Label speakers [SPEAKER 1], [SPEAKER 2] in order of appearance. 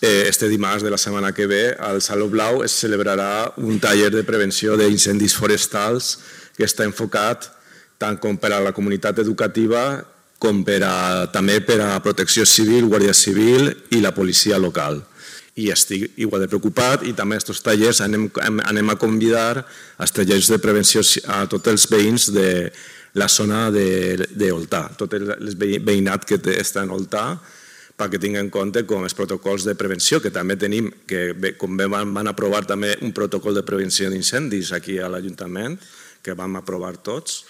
[SPEAKER 1] este dimarts de la setmana que ve al Saló Blau es celebrarà un taller de prevenció d'incendis forestals que està enfocat tant com per a la comunitat educativa com també per a Protecció Civil, Guàrdia Civil i la policia local. I estic igual de preocupat i també a aquests tallers anem a convidar als tallers de prevenció a tots els veïns de la zona d'Oltà, tot el veïnat que està en Oltà, perquè tinguin en compte com els protocols de prevenció, que també tenim, que com van aprovar també un protocol de prevenció d'incendis aquí a l'Ajuntament, que vam aprovar tots,